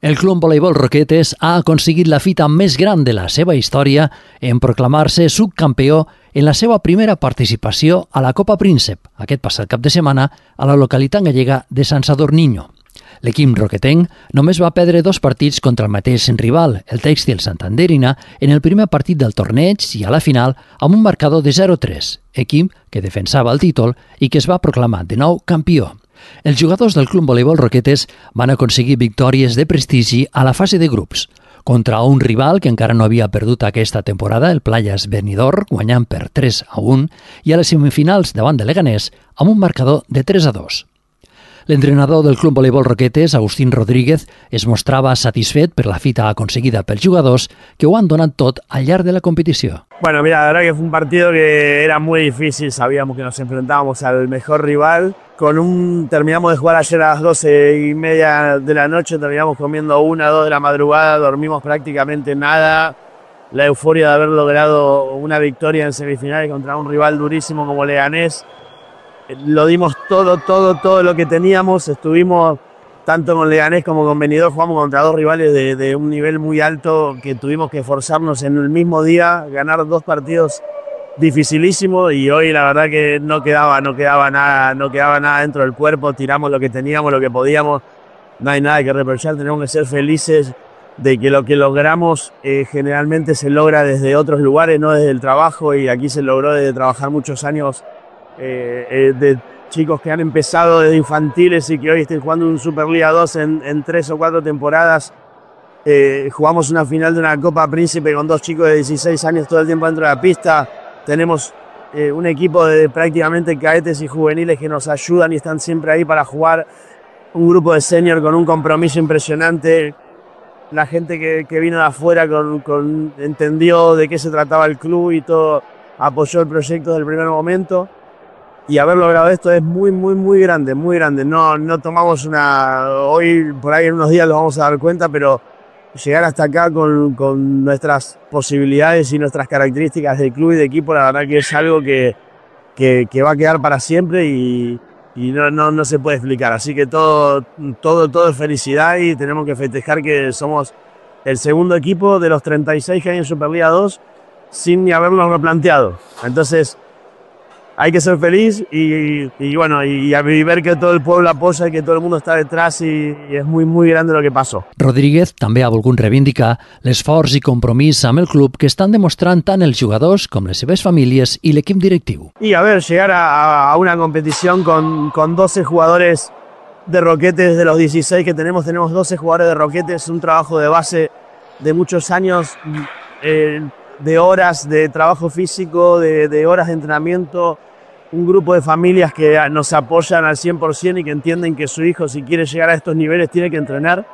El Club Voleibol Roquetes ha aconseguit la fita més gran de la seva història en proclamar-se subcampió en la seva primera participació a la Copa Príncep, aquest passat cap de setmana, a la localitat gallega de Sant Sadurniño. L'equip roquetenc només va perdre 2 partits contra el mateix rival, el Tèxtil Santanderina, en el primer partit del torneig i a la final amb un marcador de 0-3, equip que defensava el títol i que es va proclamar de nou campió. Els jugadors del Club Voleibol Roquetes van aconseguir victòries de prestigi a la fase de grups, contra un rival que encara no havia perdut aquesta temporada, el Playas Benidorm, guanyant per 3-1, i a les semifinals davant de Leganés amb un marcador de 3-2. L'entrenador del Club Voleibol Roquetes, Agustín Rodríguez, es mostrava satisfet per la fita aconseguida pels jugadors que ho han donat tot al llarg de la competició. Bueno, mira, la verdad que fue un partido que era muy difícil, sabíamos que nos enfrentábamos al mejor rival. Terminamos de jugar ayer a las 12:30 de la noche, terminamos comiendo 1 o 2 de la madrugada, dormimos prácticamente nada. La euforia de haber logrado una victoria en semifinales contra un rival durísimo como Leganés. Lo dimos todo lo que teníamos, estuvimos tanto con Leganés como con Benidorm, jugamos contra 2 rivales de un nivel muy alto que tuvimos que esforzarnos en el mismo día, ganar 2 partidos dificilísimos y hoy la verdad que no quedaba nada dentro del cuerpo, tiramos lo que teníamos, lo que podíamos, no hay nada que reprochar, tenemos que ser felices de que lo que logramos generalmente se logra desde otros lugares, no desde el trabajo, y aquí se logró desde trabajar muchos años de chicos que han empezado desde infantiles y que hoy estén jugando un Superliga 2 en 3 o 4 temporadas. Jugamos una final de una Copa Príncipe con 2 chicos de 16 años todo el tiempo dentro de la pista. Tenemos un equipo de prácticamente cadetes y juveniles que nos ayudan y están siempre ahí para jugar. Un grupo de senior con un compromiso impresionante. La gente que vino de afuera entendió de qué se trataba el club y todo, apoyó el proyecto desde el primer momento. Y haber logrado esto es muy grande, muy grande. No tomamos hoy por ahí en unos días lo vamos a dar cuenta, pero llegar hasta acá con nuestras posibilidades y nuestras características de club y de equipo, la verdad que es algo que va a quedar para siempre y no se puede explicar. Así que todo es felicidad y tenemos que festejar que somos el segundo equipo de los 36 que hay en Superliga 2 sin ni haberlo replanteado. Entonces hay que ser feliz y bueno, y ver que todo el pueblo apoya y que todo el mundo està detrás y és muy grande lo que passó. Rodríguez també ha volgut reivindicar l'esforç i compromís amb el club que estan demostrant tant els jugadors com les seves famílies i l'equip directiu. Y a ver, llegar a una competición con 12 jugadores de Roquetes, de los 16 que tenemos 12 jugadores de Roquetes, un trabajo de base de muchos años, de horas de trabajo físico, de horas de entrenamiento, un grupo de familias que nos apoyan al 100% y que entienden que su hijo, si quiere llegar a estos niveles, tiene que entrenar.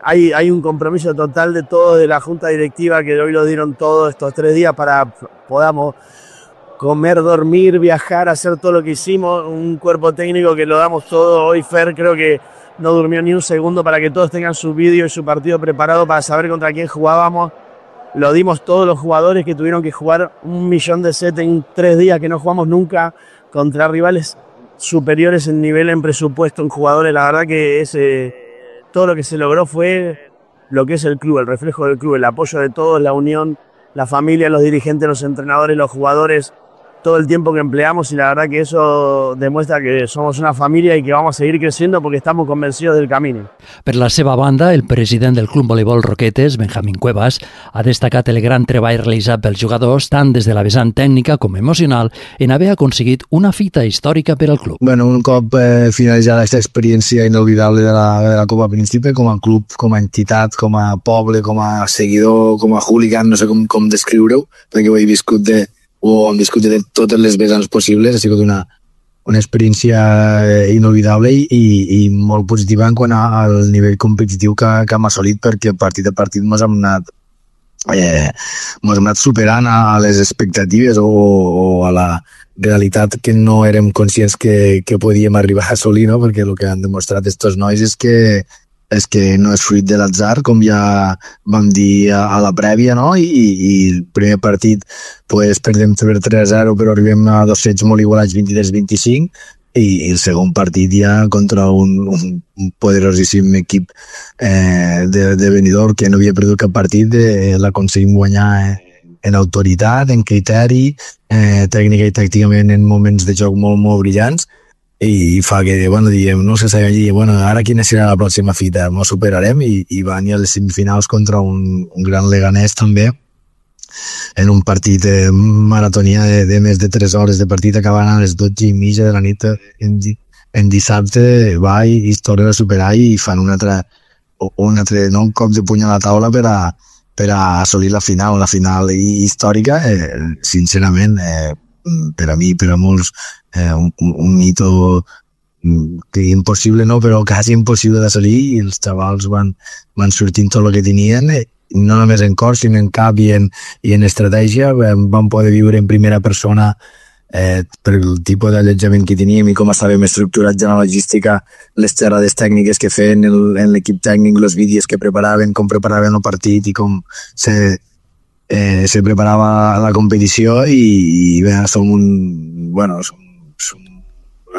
Hay un compromiso total de todos, de la junta directiva, que hoy lo dieron todos estos 3 días para podamos comer, dormir, viajar, hacer todo lo que hicimos. Un cuerpo técnico que lo damos todo. Hoy Fer creo que no durmió ni un segundo para que todos tengan su vídeo y su partido preparado para saber contra quién jugábamos. Lo dimos todos los jugadores que tuvieron que jugar 1 millón de sets en 3 días que no jugamos nunca contra rivales superiores en nivel, en presupuesto, en jugadores. La verdad que todo lo que se logró fue lo que es el club, el reflejo del club, el apoyo de todos, la unión, la familia, los dirigentes, los entrenadores, los jugadores, todo el tiempo que empleamos, y la verdad que eso demuestra que somos una familia y que vamos a seguir creciendo porque estamos convencidos del camino. Per la seva banda, el president del Club Voleibol Roquetes, Benjamín Cuevas, ha destacat el gran treball realitzat pels jugadors tant des de la vessant tècnica com emocional en haver aconseguit una fita històrica per al club. Bueno, un cop finalitzada aquesta experiència inolvidable de la Copa Príncipe, com a club, com a entitat, com a poble, com a seguidor, com a hooligan, no sé com descriure-ho, perquè ho he viscut hem viscut de totes les vessants possibles. Ha sigut una experiència inolvidable i molt positiva en quant al nivell competitiu que hem assolit, perquè partit a partit ens hem anat superant a les expectatives o a la realitat que no érem conscients que podíem arribar a assolir, no? Perquè el que han demostrat estos nois és que no és fruit de l'atzar, com ja vam dir a la prèvia, no? I el primer partit perdem per 3-0, però arribem a 2 sets molt igualats, 23-25, i el segon partit ja contra un poderosíssim equip de Benidorm que no havia perdut cap partit, l'aconseguim guanyar en autoritat, en criteri, tècnica i tàcticament en moments de joc molt, molt brillants, i fa que, bueno, diem, no sé si dir, bueno, ara quina serà la pròxima fita, ens superarem, i van a les semifinals contra un gran Leganés també, en un partit maratonià de més de 3 hores de partit, acabant a les 12:30 de la nit en dissabte, va i es tornen a superar i fan un altre cop de puny a la taula per a assolir la final històrica, sincerament, per a mi, per a molts, un hito que impossible no, però quasi impossible d'assolir, i els xavals van sortint tot el que tenien, no només en cor, sinó en cap i en estratègia. Vam poder viure en primera persona per el tipus d'allotjament que teníem i com estàvem estructurats en la logística, les xerrades tècniques que feien en l'equip tècnic, els vídeos que preparaven, com preparaven el partit i com se preparava la competició, i bé,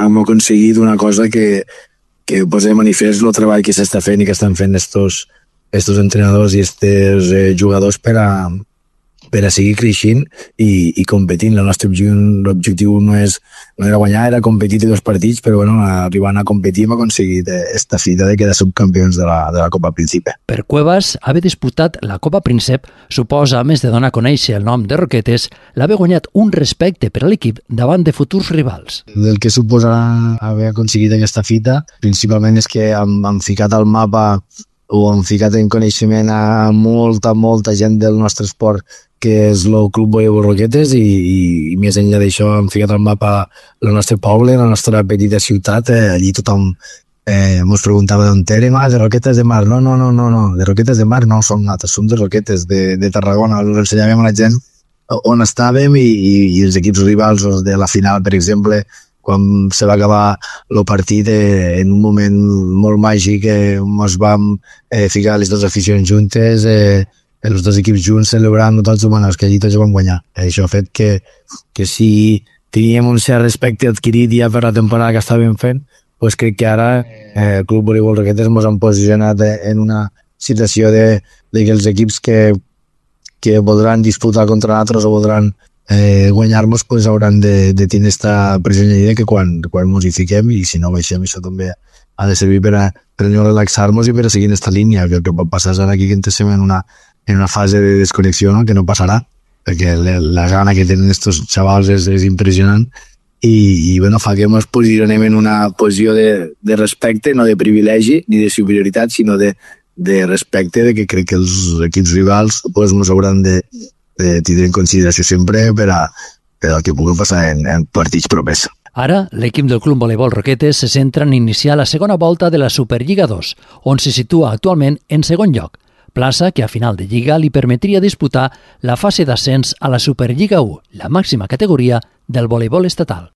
hem aconseguit una cosa que posa de manifest el treball que s'està fent i que estan fent estos entrenadors i estos jugadors per a seguir creixent i competint. El nostre objectiu no era guanyar, era competir de 2 partits, però bueno, arribant a competir hem aconseguit esta fita de quedar subcampions de la Copa Príncipe. Per Cuevas, haver disputat la Copa Príncep suposa, a més de donar a conèixer el nom de Roquetes, l'haver guanyat un respecte per a l'equip davant de futurs rivals. El que suposa haver aconseguit aquesta fita, principalment és que hem ficat al mapa o hem ficat en coneixement a molta gent del nostre esport, que és el Club Voleibol Roquetes, i més enllà d'això hem ficat al mapa el nostre poble, la nostra petita ciutat. Allí tothom ens preguntava d'on érem, de Roquetes de Mar. No, de Roquetes de Mar no som nosaltres, som de Roquetes, de Tarragona. Ensenyàvem a la gent on estàvem, i els equips rivals de la final, per exemple, quan se va acabar el partit, en un moment molt màgic, ens vam ficar les dues aficions juntes, els 2 equips junts celebrant tots, bueno, que allí tots vam guanyar. Això ha fet que si teníem un cert respecte adquirit ja per la temporada que estàvem fent, doncs crec que ara el Club Voleibol Roquetes ens han posicionat en una situació de que els equips que voldran disputar contra nosaltres o voldran guanyar-nos, doncs hauran de tenir aquesta pressió de que quan ens hi fiquem, i si no baixem, això també ha de servir per a no relaxar-nos i per a seguir en aquesta línia. Que el que pot passar és ara aquí que entrem en una fase de desconnexió, no? Que no passarà, perquè la gana que tenen estos xavals és impressionant, i bueno, fa que ens posicionem en una posició de respecte, no de privilegi ni de superioritat, sinó de respecte, de que crec que els equips rivals doncs ens hauran de tindre en consideració sempre per al que pugui passar en partits propers. Ara, l'equip del Club Voleibol Roquetes se centra en iniciar la segona volta de la Superliga 2, on se situa actualment en segon lloc, plaça que a final de Lliga li permetria disputar la fase d'ascens a la Superliga 1, la màxima categoria del voleibol estatal.